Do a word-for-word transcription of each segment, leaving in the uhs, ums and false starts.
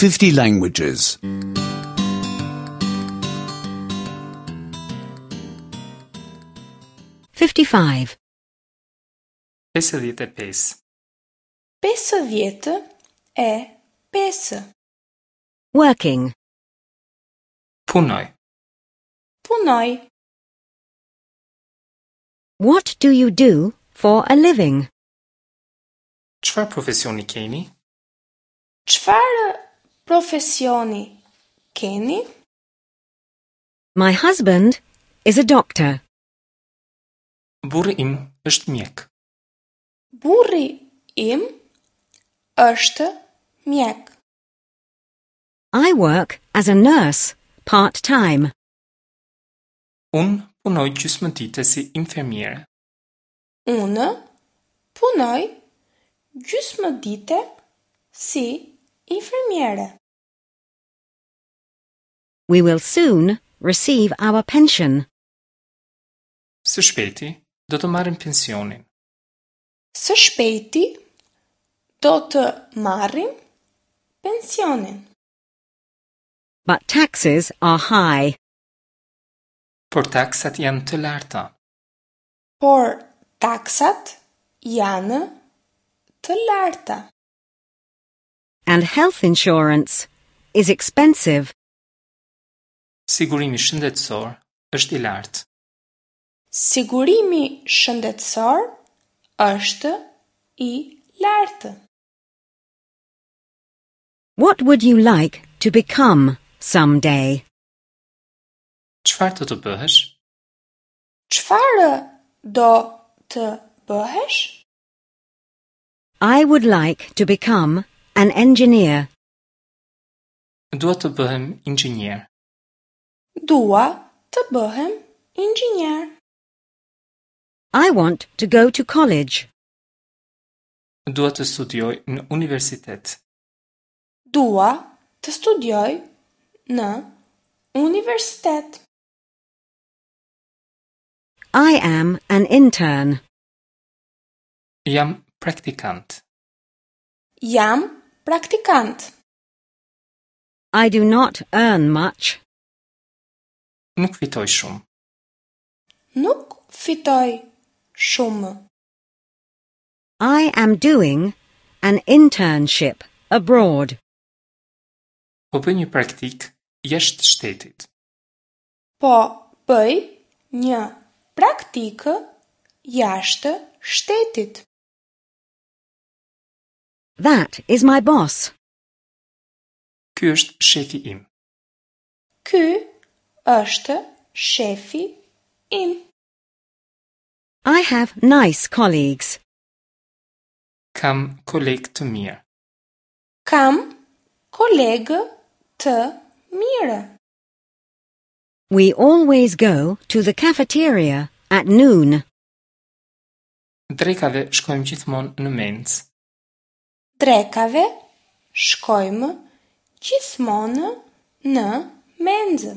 fifty languages. fifty-five. pesëdhjetë e pesë. Pesëdhjetë e pesë. Working. Punoj. Punoj. What do you do for a living? Çfarë profesioni keni? Çfarë profesioni keni? My husband is a doctor. Burri im është mjek. Burri im është mjek. I work as a nurse part-time. Unë punoj gjysmë dite si infermiere. Unë punoj gjysmë dite si infermiere. We will soon receive our pension. Së shpejti do të marrim pensionin. Së shpejti do të marrim pensionin. But taxes are high. Por taksat janë të larta. Por taksat janë të larta. And health insurance is expensive. Sigurimi shëndetësor është i lartë. Sigurimi shëndetësor është i lartë. What would you like to become someday? Çfarë do të bëhesh? Çfarë do të bëhesh? I would like to become an engineer. Dua të bëhem inxhinier. Dua të bëhem inxhinier. I want to go to college. Dua të studioj në universitet. Dua të studioj në universitet. I am an intern. Jam praktikant. Jam praktikant. I do not earn much. Nuk fitoj shumë. Nuk fitoj shumë. I am doing an internship abroad. Po bëj një praktik jashtë shtetit. Po bëj një praktikë jashtë shtetit. That is my boss. Ky është shefi im. Ky është shefi im. I have nice colleagues. Kam koleg të mirë. Kam kolegë të mirë. We always go to the cafeteria at noon. Drekave shkojmë gjithmonë në mencë. Drekave shkojmë gjithmonë në menzë.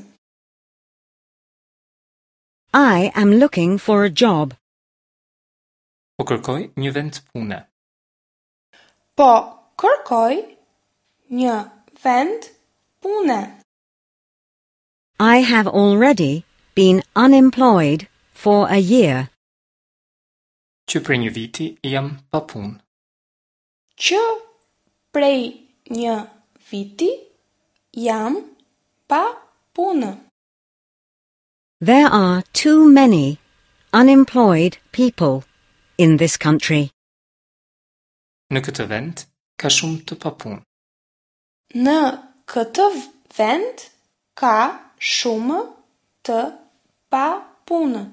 I am looking for a job. Po kërkoj një vend pune. Po kërkoj një vend pune. I have already been unemployed for a year. Që prej një viti jam pa punë. Që prej një viti jam pa punë. There are too many unemployed people in this country. Në këtë vend ka shumë të papunë. Në këtë vend ka shumë të papunë.